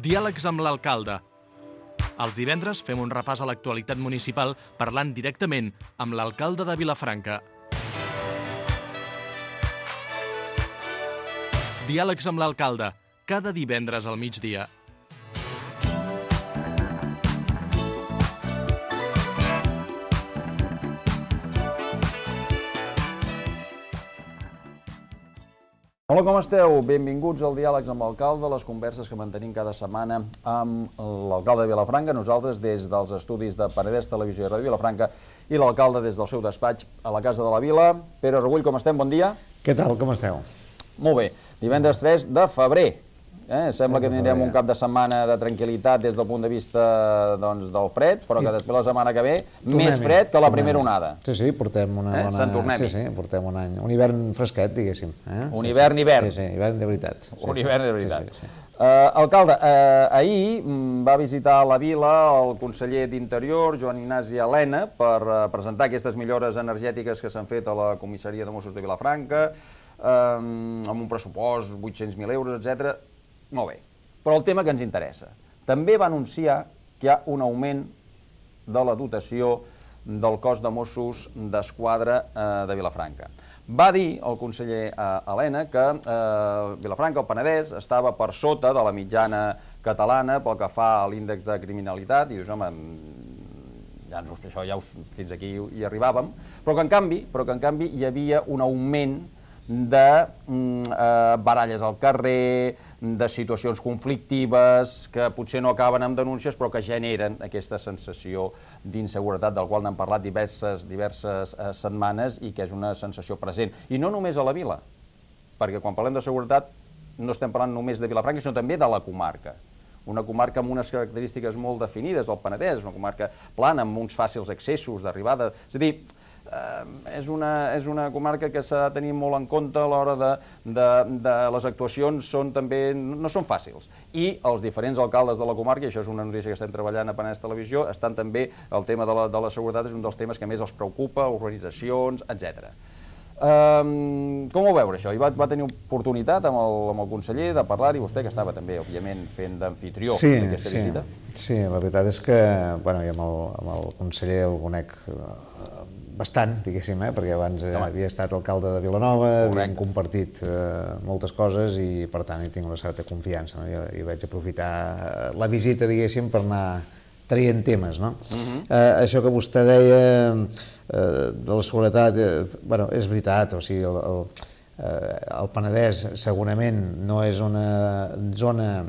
Diàlegs amb l'alcalde. Els divendres fem un repàs a l'actualitat municipal parlant directament amb l'alcalde de Vilafranca. Diàlegs amb l'alcalde, cada divendres al migdia. Hola, com esteu? Benvinguts al Diàlegs amb l'alcalde, les converses que mantenim cada setmana amb l'alcalde de Vilafranca, nosaltres des dels estudis de Penedès Televisió i Ràdio Vilafranca i l'alcalde des del seu despatx a la Casa de la Vila. Pere Regull, com estem? Bon dia. Què tal? Com esteu? Molt bé. Divendres 3 de febrer. Sembla que tindrem un cap de setmana de tranquil·litat des del punt de vista del fred, però que després la setmana que ve més fred que la primera onada. Sí, portem una bona... Se'n tornem-hi. Sí, portem un any. Un hivern fresquet, diguéssim. Un hivern. Sí, hivern de veritat. Un hivern de veritat. Alcalde, ahir va visitar la vila el conseller d'Interior, Joan Ignasi Elena, per presentar aquestes millores energètiques que s'han fet a la comissaria de Mossos de Vilafranca, amb un pressupost, 800.000 euros, etc. Molt bé, però el tema que ens interessa. També va anunciar que hi ha un augment de la dotació del cos de Mossos d'Esquadra de Vilafranca. Va dir el conseller Elena que Vilafranca, el Penedès, estava per sota de la mitjana catalana pel que fa a l'índex de criminalitat, i dius, home, fins aquí hi arribàvem, però que en canvi hi havia un augment de baralles al carrer, de situacions conflictives que potser no acaben amb denúncies però que generen aquesta sensació d'inseguretat del qual n'hem parlat diverses setmanes i que és una sensació present. I no només a la vila, perquè quan parlem de seguretat no estem parlant només de Vilafranca, sinó també de la comarca. Una comarca amb unes característiques molt definides, el Penedès, una comarca plana, amb uns fàcils accessos d'arribada. És a dir, és una comarca que s'ha de tenir molt en compte a l'hora de les actuacions, no són fàcils. I els diferents alcaldes de la comarca, i això és una notícia que estem treballant a Penedès Televisió, estan també, el tema de la seguretat és un dels temes que més els preocupa, organitzacions, etc. Com ho veu això? Va tenir oportunitat amb el conseller de parlar-hi, vostè que estava també, òbviament, fent d'amfitrió d'aquesta visita? Sí, la veritat és que jo amb el conseller el conec bastant, diguéssim, perquè abans havia estat alcalde de Vilanova, havíem compartit moltes coses i, per tant, hi tinc una certa confiança. I vaig aprofitar la visita, diguéssim, per anar traient temes. Això que vostè deia de la seguretat, és veritat, o sigui, el Penedès segurament no és una zona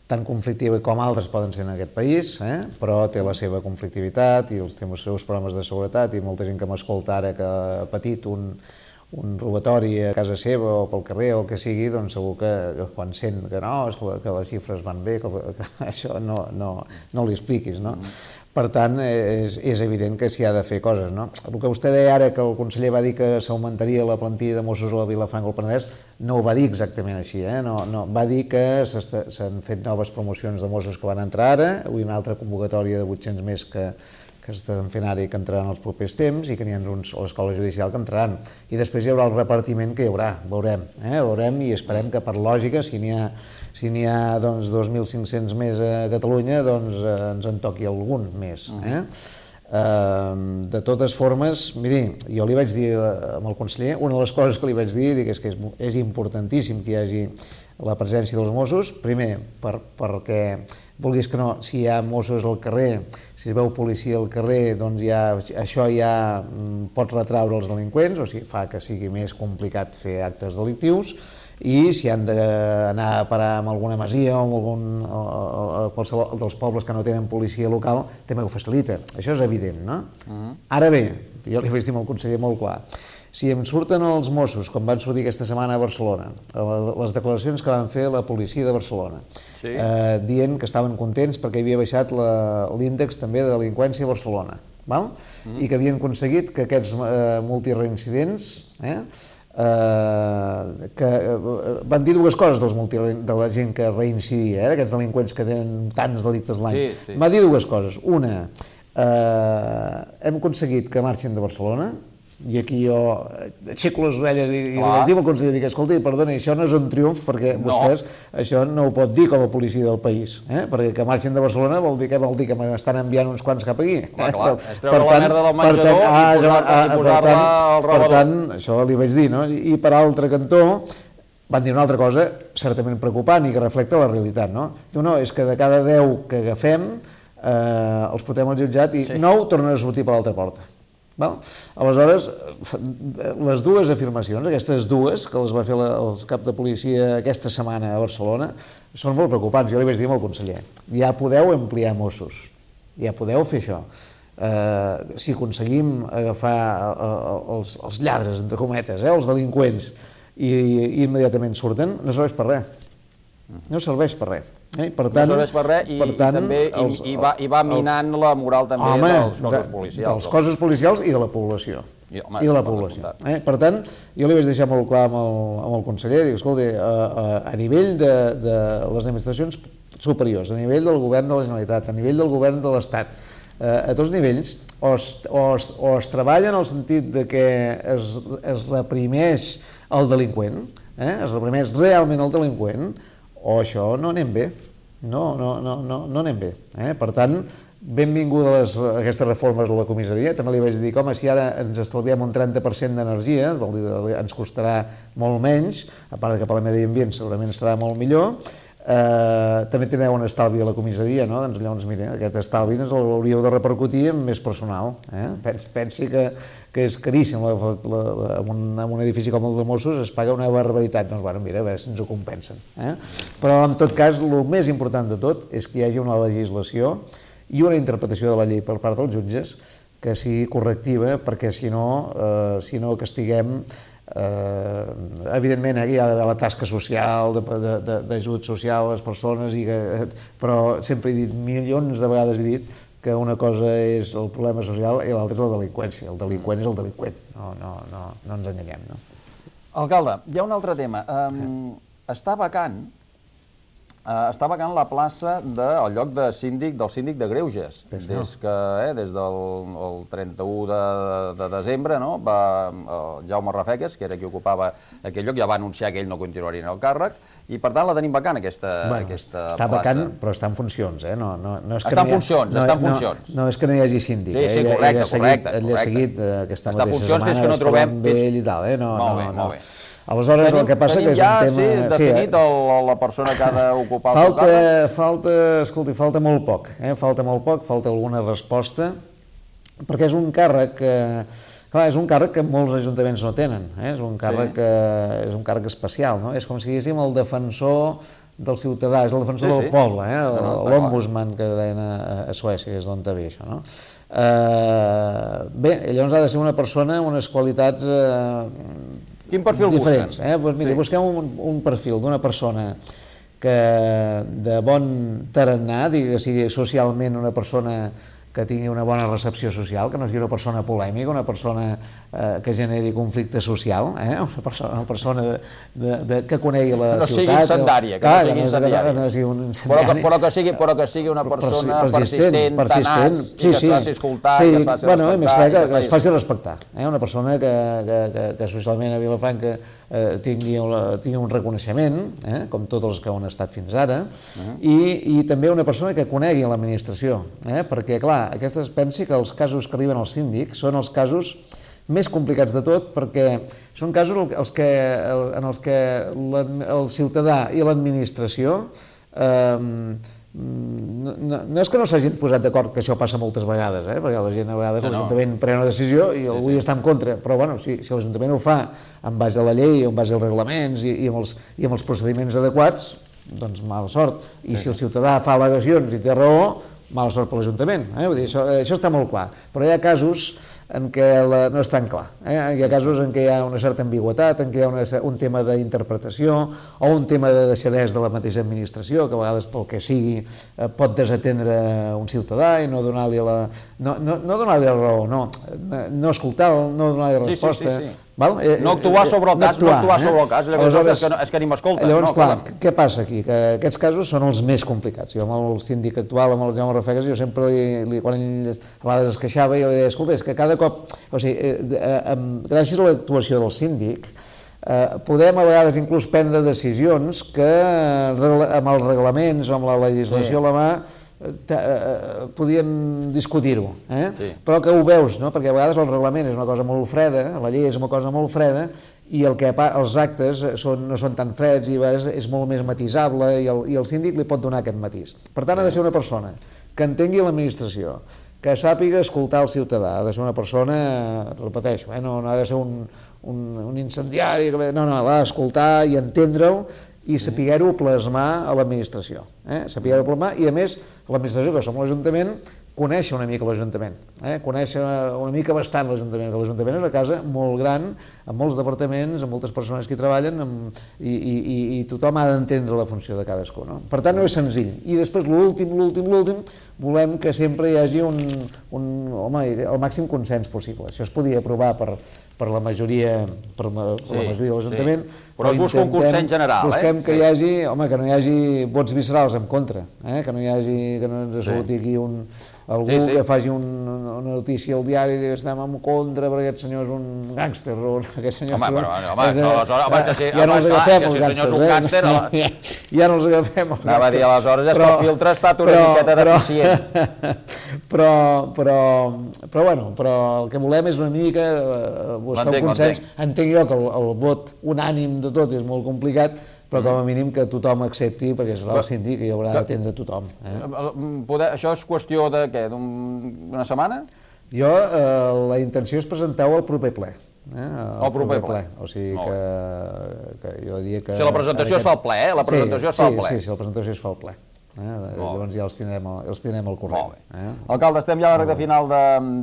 tan conflictiva com altres poden ser en aquest país, però té la seva conflictivitat i els seus problemes de seguretat, i molta gent que m'escolta ara que ha patit un robatori a casa seva o pel carrer o el que sigui, doncs segur que quan sent que que les xifres van bé, que això no li expliquis, no? Per tant, és evident que s'hi ha de fer coses, no? El que vostè deia ara, que el conseller va dir que s'augmentaria la plantilla de Mossos a la Vilafranca al Penedès, no ho va dir exactament així, va dir que s'han fet noves promocions de Mossos que van entrar ara, avui una altra convocatòria de 800 més que estan fent ara i que entraran els propers temps, i que n'hi ha uns a l'escola judicial que entraran. I després hi haurà el repartiment que hi haurà, veurem i esperem que per lògica, si n'hi ha 2.500 més a Catalunya, doncs ens en toqui algun més. De totes formes, miri, jo li vaig dir al conseller, una de les coses que li vaig dir és que és importantíssim que hi hagi la presència dels Mossos, primer perquè, vulguis que no, si hi ha Mossos al carrer, si es veu policia al carrer, doncs això ja pot retraure els delinqüents, o sigui, fa que sigui més complicat fer actes delictius, i si han d'anar a parar amb alguna masia o qualsevol dels pobles que no tenen policia local, també ho facilita. Això és evident, no? Ara bé, jo li vaig dir al conseller molt clar, si em surten els Mossos, com van sortir aquesta setmana a Barcelona, les declaracions que van fer la policia de Barcelona, dient que estaven contents perquè havia baixat l'índex també de delinqüència a Barcelona, i que havien aconseguit que aquests multireincidents, que van dir dues coses de la gent que reincidia, d'aquests delinqüents que tenen tants delictes l'any, va dir dues coses. Una, hem aconseguit que marxin de Barcelona, I aquí jo aixeco les orelles i les dic al conseller, dic, escolta, perdona, això no és un triomf perquè vostès això no ho pot dir com a policia del país, perquè que marxin de Barcelona vol dir que m'estan enviant uns quants cap aquí. Clar, és treure la merda del menjador i posar-la al rebedor. Per tant, això li vaig dir, no? I per altre cantó, van dir una altra cosa certament preocupant i que reflecta la realitat, no? No, és que de cada 10 que agafem els portem al jutjat i 9 tornen a sortir per l'altra porta. Aleshores, les dues afirmacions, aquestes dues, que les va fer el cap de policia aquesta setmana a Barcelona, són molt preocupants. Jo li vaig dir al conseller, ja podeu ampliar Mossos, ja podeu fer això. Si aconseguim agafar els lladres, entre cometes, els delinqüents, i immediatament surten, no serveix per res. No serveix per res. Per tant, no serveix per res i va minant la moral també dels cossos policials. Dels cossos policials i de la població. Per tant, jo li vaig deixar molt clar amb el conseller, dic, escolta, a nivell de les administracions superiors, a nivell del govern de la Generalitat, a nivell del govern de l'Estat, a tots nivells, o es treballa en el sentit de que es reprimeix el delinqüent, es reprimeix realment el delinqüent, o això no anem bé, no anem bé. Per tant, benvingudes aquestes reformes a la comissaria. També li vaig dir, home, si ara ens estalviem un 30% d'energia, vol dir, ens costarà molt menys, a part que per al medi ambient segurament serà molt millor, també tindreu un estalvi a la comissaria, no? Doncs llavors, mira, aquest estalvi l'hauríeu de repercutir en més personal. Pensi que és caríssim, en un edifici com el de Mossos es paga una barbaritat, doncs bueno, mira, a veure si ens ho compensen. Però en tot cas, el més important de tot és que hi hagi una legislació i una interpretació de la llei per part dels jutges que sigui correctiva, perquè si no castiguem evidentment hi ha d'haver la tasca social, d'ajut social a les persones, però sempre he dit, milions de vegades he dit que una cosa és el problema social i l'altra és la delinqüència. El delinqüent és el delinqüent, no ens enganyem. Alcalde, hi ha un altre tema. Està vacant la plaça del lloc del síndic de Greuges. Des del 31 de desembre, Jaume Rafeques, que era qui ocupava aquell lloc, ja va anunciar que ell no continuaria en el càrrec, i per tant la tenim vacant, aquesta plaça. Està vacant, però està en funcions. Està en funcions. No és que no hi hagi síndic. Sí, correcte. Ell ha seguit aquesta mateixa setmana, parlant amb ell i tal. Molt bé. Aleshores, el que passa que és un tema... Tenim ja definit la persona que ha d'ocupar el càrrec? Falta molt poc, falta alguna resposta, perquè és un càrrec que... Clar, és un càrrec que molts ajuntaments no tenen, és un càrrec especial, no? És com si diguéssim el defensor del ciutadà, és el defensor del poble, l'ombudsman que deien a Suècia, és d'on ve això, no? Bé, llavors ha de ser una persona amb unes qualitats... Quin perfil diferents, busquen? Busquem un perfil d'una persona que de bon tarannà, que sigui socialment una persona que tingui una bona recepció social, que no sigui una persona polèmica, una persona que generi conflicte social, una persona que conegui la ciutat. No sigui incendària, que no sigui incendària. Però que sigui una persona persistent, tenaç, i que es faci escoltar, i que es faci respectar. I més clar, que es faci respectar. Una persona que socialment a Vilafranca tingui un reconeixement, com tots els que han estat fins ara, i també una persona que conegui l'administració, perquè, clar, pensi que els casos que arriben al síndic són els casos més complicats de tot, perquè són casos en els que el ciutadà i l'administració no és que no s'hagin posat d'acord, que això passa moltes vegades, perquè la gent a vegades l'Ajuntament pren una decisió i algú hi està en contra, però bueno, si l'Ajuntament ho fa en base a la llei, en base als reglaments i amb els procediments adequats, doncs mala sort. I si el ciutadà fa al·legacions i té raó, mala sort per l'Ajuntament. Això està molt clar, però hi ha casos en què no és tan clar. Hi ha casos en què hi ha una certa ambigüitat, en què hi ha un tema d'interpretació o un tema de deixadesa de la mateixa administració, que a vegades pel que sigui pot desatendre un ciutadà i no donar-li la raó, no escoltar-lo, no donar-li resposta. No actuar sobre el cas, és que ni m'escolta. Llavors, clar, què passa aquí? Que aquests casos són els més complicats. Jo amb el síndic actual, amb el Jaume Jaume Rafegas, jo sempre, quan ell a vegades es queixava, jo li deia, escolta, és que cada cop, o sigui, gràcies a l'actuació del síndic, podem a vegades inclús prendre decisions que amb els reglaments o amb la legislació a la mà podíem discutir-ho, però que ho veus, no? Perquè a vegades el reglament és una cosa molt freda, la llei és una cosa molt freda, i els actes no són tan freds i a vegades és molt més matisable i el síndic li pot donar aquest matís. Per tant, ha de ser una persona que entengui l'administració, que sàpiga escoltar el ciutadà, ha de ser una persona, repeteixo, no ha de ser un incendiari, no, l'ha d'escoltar i entendre'l i saber-ho plasmar a l'administració. Saber-ho plasmar i, a més, l'administració, que som l'Ajuntament, conèixer una mica l'Ajuntament, conèixer una mica bastant l'Ajuntament, que l'Ajuntament és una casa molt gran, amb molts departaments, amb moltes persones que hi treballen i tothom ha d'entendre la funció de cadascú. Per tant, no és senzill. I després, l'últim, volem que sempre hi hagi el màxim consens possible. Això es podia aprovar per la majoria de l'Ajuntament, però es busca un consens general. Busquem que hi hagi, que no hi hagi vots viscerals en contra, que no ens surti aquí algú que faci una notícia al diari i digui estem en contra perquè aquest senyor és un gàngster o aquest senyor... Ja no els agafem els gàngsters, ja no els agafem els gàngsters. Anava a dir, aleshores és que el filtre ha estat una miqueta deficient. Però el que volem és una mica buscar un consens. Entenc jo que el vot unànim de tot és molt complicat, però com a mínim que tothom accepti, perquè serà el síndic i haurà d'atendre tothom. Això és qüestió de què, d'una setmana? Jo, la intenció és presentar-ho al proper ple. Al proper ple. O sigui que jo diria que... O sigui, la presentació es fa al ple, La presentació es fa al ple. Sí, la presentació es fa al ple. Llavors ja els tindrem al corrent. Alcalde, estem ja a la recta final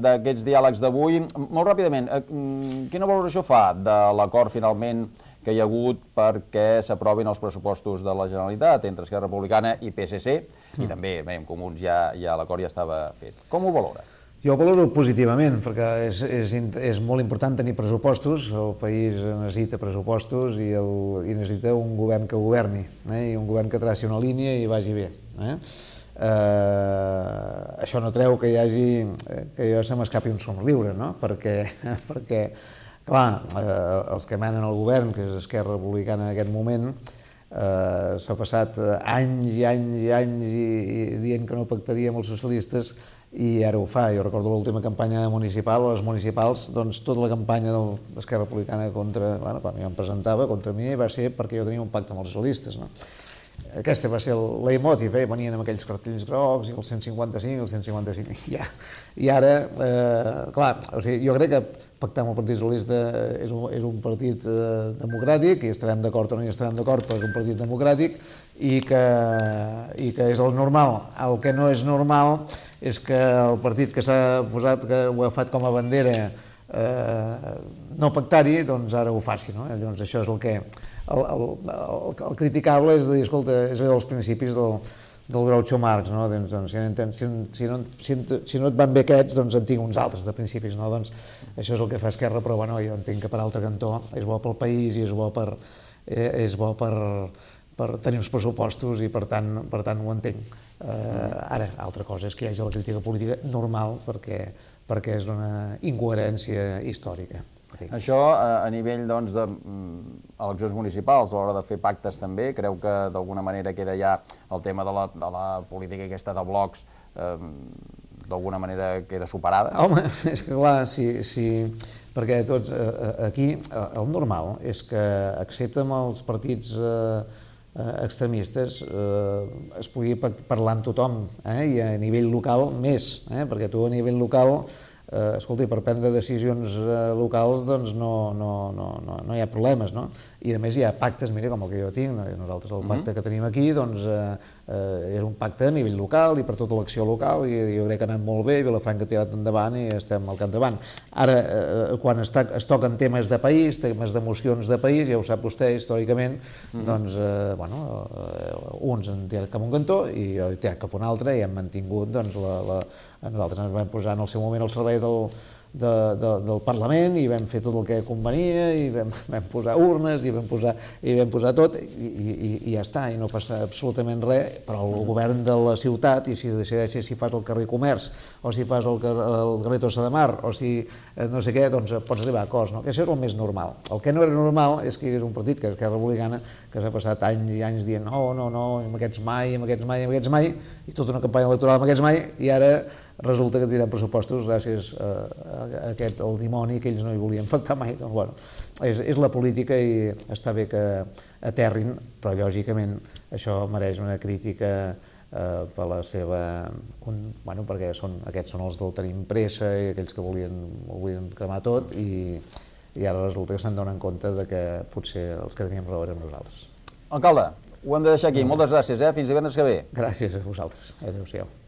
d'aquests diàlegs d'avui. Molt ràpidament, quina valoració fa de l'acord finalment que hi ha hagut perquè s'aprovin els pressupostos de la Generalitat entre Esquerra Republicana i PSC, i també, amb Comuns ja l'acord ja estava fet. Com ho valora? Jo ho valoro positivament, perquè és molt important tenir pressupostos, el país necessita pressupostos i necessita un govern que governi, i un govern que traci una línia i vagi bé. Això no treu que jo se m'escapi un somriure, no? Perquè clar, els que manen el govern, que és Esquerra Republicana en aquest moment, s'ha passat anys i anys i anys dient que no pactaria amb els socialistes i ara ho fa. Jo recordo l'última campanya municipal, a les municipals, doncs tota la campanya d'Esquerra Republicana quan jo em presentava contra mi va ser perquè jo tenia un pacte amb els socialistes. Aquesta va ser el leitmotiv, venien amb aquells cartells grocs i el 155, el 155, i ara, clar, jo crec que pactar amb el Partit Socialista és un partit democràtic, i estarem d'acord o no hi estarem d'acord, però és un partit democràtic i que és el normal. El que no és normal és que el partit que s'ha posat, que ho ha agafat com a bandera no pactar-hi, doncs ara ho faci. Llavors això és el que... El criticable és de dir, escolta, és allò dels principis del Groucho Marx, si no et van bé aquests, doncs en tinc uns altres de principis, doncs això és el que fa Esquerra, però jo entenc que per altre cantó és bo pel país i és bo per tenir uns pressupostos i per tant ho entenc. Ara, altra cosa és que hi hagi la crítica política normal perquè és una incoherència històrica. Això a nivell d'eleccions municipals, a l'hora de fer pactes també, creu que d'alguna manera queda ja el tema de la política aquesta de blocs d'alguna manera queda superada? Home, és que clar, sí, perquè tots aquí el normal és que excepte amb els partits extremistes es pugui parlar amb tothom i a nivell local més, perquè tu a nivell local escolta, per prendre decisions locals doncs no hi ha problemes, no? I a més hi ha pactes, mira, com el que jo tinc, nosaltres el pacte que tenim aquí doncs és un pacte a nivell local i per tota l'acció local i jo crec que ha anat molt bé, Vilafranca ha tirat endavant i estem al capdavant. Ara, quan es toquen temes de país, temes d'emocions de país, ja ho sap vostè històricament, doncs, uns han tirat cap a un cantó i jo he tirat cap a un altre i hem mantingut, doncs, nosaltres ens vam posar en el seu moment al servei del Parlament i vam fer tot el que convenia i vam posar urnes i vam posar tot i ja està, i no passa absolutament res, però el govern de la ciutat, i si decideixes si fas el carrer Comerç o si fas el carrer Tossa de Mar o si no sé què, doncs pots arribar a acords, no? Que això és el més normal. El que no era normal és que hi hagués un partit, que és Esquerra Republicana, que s'ha passat anys i anys dient no, amb aquests mai, i tota una campanya electoral amb aquests mai, i ara resulta que tindran pressupostos gràcies a el dimoni que ells no hi volien pactar mai. Doncs, bueno, és la política i està bé que aterrin, però lògicament això mereix una crítica per la seva... Bueno, perquè aquests són els del tenim pressa i aquells que volien cremar tot i ara resulta que se'n donen compte que potser els que teníem raó érem nosaltres. Alcalde, ho hem de deixar aquí. Moltes gràcies, fins divendres que ve. Gràcies a vosaltres. Adéu-siau.